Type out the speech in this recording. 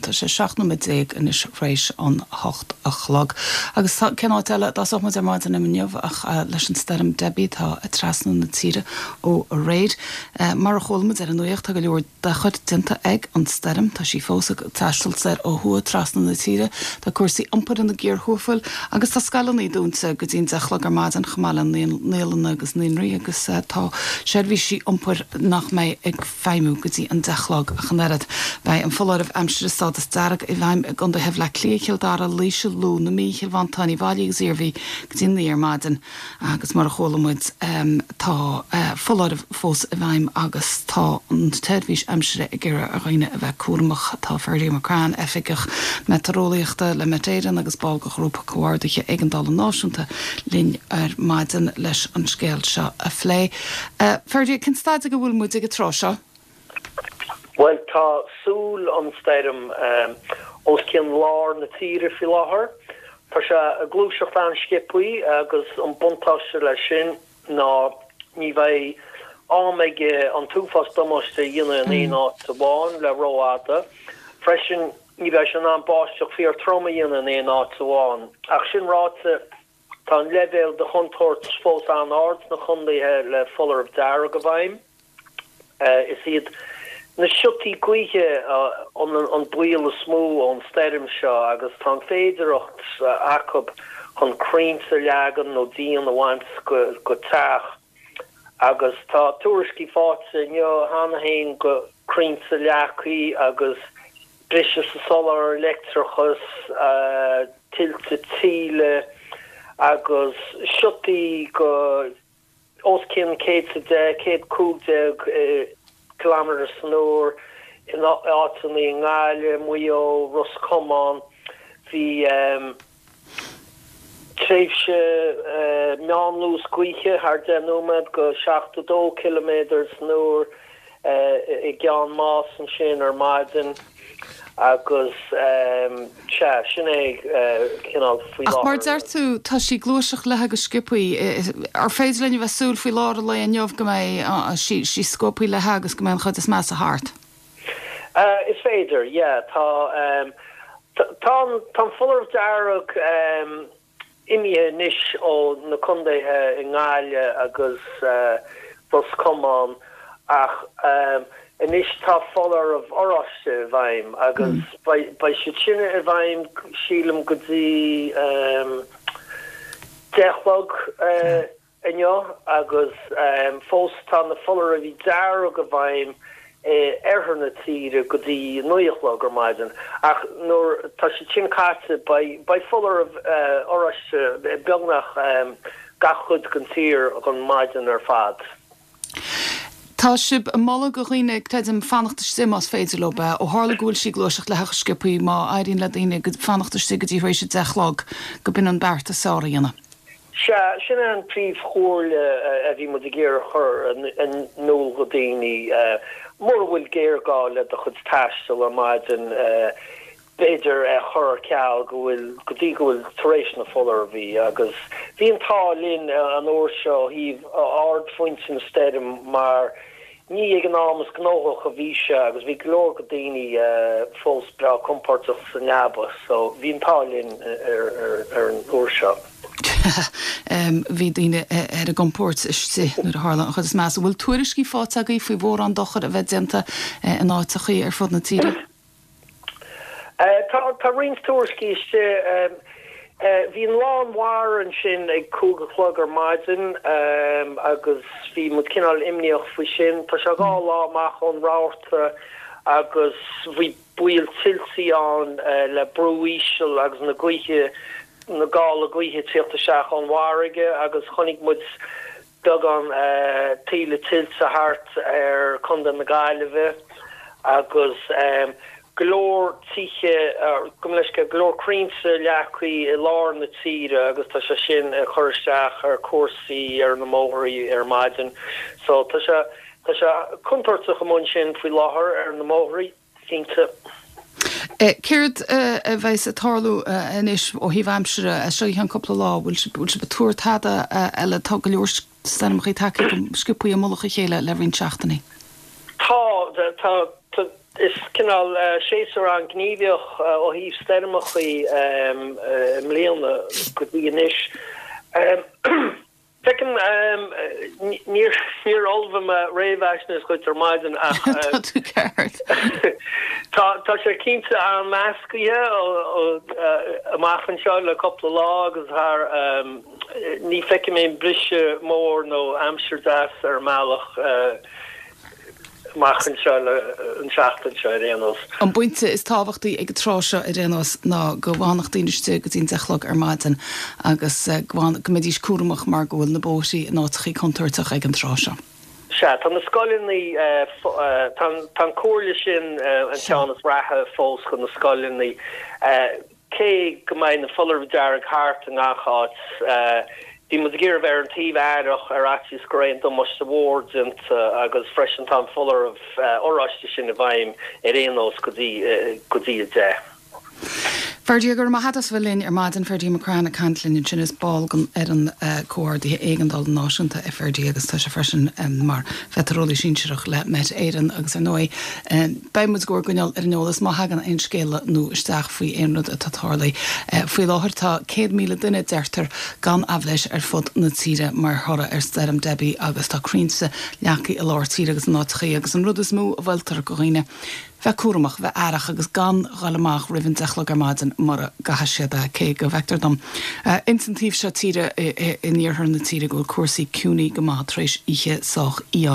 Tá sé 17 nóiméad anois tar éis an 8 a chlog. Agus tá, cén áit eile a dtosódh muid ar maidin inniu ach leis an stoirm Debbie atá ag trasnú na tíre ó aréir. Mar a chuala muid ar an nuacht tá go leor dochair déanta ag an stoirm. Tá sí fós ag taisteal soir ó thuaidh trasna na tíre. Tá cúrsaí iompair ina gcíor thuathail agus tá scoileanna dúnta go dtí an 10 a chlog ar maidin chomh maith le naíolanna agus naíonraí agus tá seirbhísí iompair nach mbeidh ag feidhmiú go dtí an 10 a chlog ach an oiread. Beidh an foláireamh aimsire stádas dearg i bhfeidhm i gcontaetha Bhaile Átha Cliath, Chill Dara, Laoise, Lú, na Mí, Chill Mhantáin, Uíbh Fhailí agus Iarmhí go dtí an 9 ar maidin. Agus mar a chuala muid, tá foláireamh fós i bhfeidhm agus tá an tseirbhís aimsire ag iarraidh ar dhaoine a bheith cúramach. Tá Ferdia McCrann, Oifigeach Meitéareolaíochta le Met Éireann agus ball de Ghrúpa Comhordaithe Éigeandála Náisiúnta linn ar maidin leis an scéal seo a phlé. Ferdia, cén staid ag a bhfuil muid ag an tráth seo? Bhuel, tá súil an stoirm os cionn lár na tíre faoi láthair. Tá sé ag gluaiseacht an-sciobthaí agus an buntáiste leis sin ná ní bheidh am aige an t-uafás damáiste a dhéanamh in aon áit amháin le rófhada. Freisin, ní bheidh sé in ann báisteach fíor-trom a dhéanamh in aon áit amháin. Ach sin ráite, tá an leibhéal de chontúirt fós an-ard sna contaetha le foláireamh dearg i bhfeidhm. Is iad na siotaí gaoithe an baol is mó ón stoirm seo agus tá an féidearthacht acu chun crainnte a leagan nó díon a bhaint go teach agus tá tuairiscí faighte inniu cheana féin go crainnte leagtha agus briseadh sa soláthar leictreachais, tuilte taoille agus siotaí go os cionn 110, 115 kilometre san uair in áiteanna i nGaillimh, Maigh Eo, Ros Comáin. Bhí tréimhse meánluas gaoithe thar 10 nóiméad go 72 ciliméadar san uair i gCeann Máis ansin ar maidin. Agus sea, sin é cineál faoi láthair. Ach mar a deir tú, tá sí ag gluaiseacht léithe go sciobthaí. Ar féidir linn a bheith ag súil faoi lár an lae inniu go mbeidh sí scuabthaí léithe agus go mbeidh an chuid is measa thart? Is féidir, yeah. Tá, tá an foláireamh dearg. imithe anois ó na contaetha i nGaillimh agus Ros Comáin ach anois tá foláireamh oráiste i bhfeidhm agus beidh siad sin i bhfeidhm sílim go dtí 10 a chlog. inniu agus fós tá na foláirimh dearg i bhfeidhm i oirthear na tíre go dtí 9 a chlog ar maidin ach nuair tá siad sin caite beidh foláireamh oráiste i beagnach gach cuid den tír don maidin ar fad. Tá sibh ag moladh go dhaoine, creidim, fanacht istigh más féidir leo, ó tharla go bhfuil sí ag gluaiseacht léithe go sciobthaí, má éiríonn le daoine fanacht istigh go dtí tar éis a 10 a chlog, go b'in an beart is fearr a dhéanamh. Sea, sin é an príomhchomhairle a bhí muid ag iarraidh a chur in iúl go daoine. Mura bhfuil géarghá le do chuid taistil ar maidin, b'fhéidir é a chur ar ceal go bhfuil, go dtí go bhfuil tar éis na foláirimh. Agus bhí an t-ádh linn an uair seo ó thaobh ardphointe na stoirme mar Ní ag an am is gnóthach a bhí sé agus bhí go leor go daoine fós breá compordach sa leaba so bhí an t-ádh linn ar an uair seo. Bhí daoine ar a gcompóirt istigh nuair a tharla an chuid is measa. Bhfuil tuairiscí faighte agaibh faoi mhórán dochair a bheith déanta in áiteachaí ar fud na tíre? Tá roinnt tuairiscí istigh. Bhí an lán mhara ansin ag 5 a chlog ar maidin agus bhí muid cineál imníoch faoi sin. Tá sé dhá lá amach ón rabharta agus bhí baol tuiltí ann le brú íseal agus na gaoithe, na gála gaoithe ag tíocht isteach ón bhfarraige agus chonaic muid beagán taoille tuilte thart ar Chontae na Gaillimhe agus go leor tithe, gabh mo leithscéal, go leor crainnte leagtha i lár na tíre agus tá sé sin ag cur isteach ar chúrsaí ar na mbóithrí ar maidin. So tá sé, tá sé contúirteach amuigh ansin faoi láthair ar na mbóithrí. cinnte. Céard a bheas ag tarlú anois ó thaobh aimsire as seo go ceann cúpla lá? Bhfuil sibh ag tuar tada eile? Tá go leor stoirmeacha tagtha go sciobthaí i mullach a chéile le roinnt seachtainí. Tá, tá. Is cineál séasúr an-ghníomhach ó thaobh stoirmeachaí i mbliana go dtí anois. Feicim, níor ullmhaigh mé réamhaisnéis dhuit ar maidin ach Tá tú ceart. tá sé cinnte an-mheascaithe amach anseo le cúpla lá agus thar, ní feicim aon briseadh mór nó aimsir deas ar an mbealach. amach anseo le an tseachtain seo ar aon nós. An pointe is tábhachtaí ag an tráth seo ar aon nós ná go bhfanfadh daoine istigh go dtí an 10 a chlog ar maidin agus go mbeidís cúramach mar go bhfuil na bóithrí in áiteachaí contúirteach ag an tráth seo. Sea, tá na scoileanna, tá an comhairle sin an ceann is reatha fós do na scoileanna. Cé go mbeidh na foláirimh dearg thart i ngach áit, bhí muid ag iarraidh a bheith ar an taobh aireach ar fhaitíos go raibh aon damáiste mhór déanta agus freisin tá an foláireamh oráiste sin i bhfeidhm ar aon nós go dtí go dtí 10. Ferdia, go raibh maith agat as a bheith linn ar maidin. Ferdia McCrann ag caint linn ansin. Is ball den fhoireann comhordaithe éigeandála náisiúnta é Ferdia agus tá sé freisin mar mheitéareolaí sinsearach le Met Éireann agus ar ndóigh Beidh muid dhár gcoinneáil ar an eolas má thagann aon scéala nua isteach faoi aon rud atá tarlaithe. Faoi láthair tá 100,000 duine, deirtear, gan aibhléis ar fud na tíre mar thoradh ar Stoirm Debbie agus tá crainnte leagtha i lár tíre agus in áiteachaí agus an rud is mó a mholtar do dhaoine, bheith cúramach, bheith aireach agus gan dhul amach roimh an deich a chlog ar maidin mura gcaithfidh siad é, cé go bhfeictear dom ins an taobh seo tíre, in iarthar na tíre, go bhfuil cúrsaí ciúin go maith tar éis oíche sách fhiáin.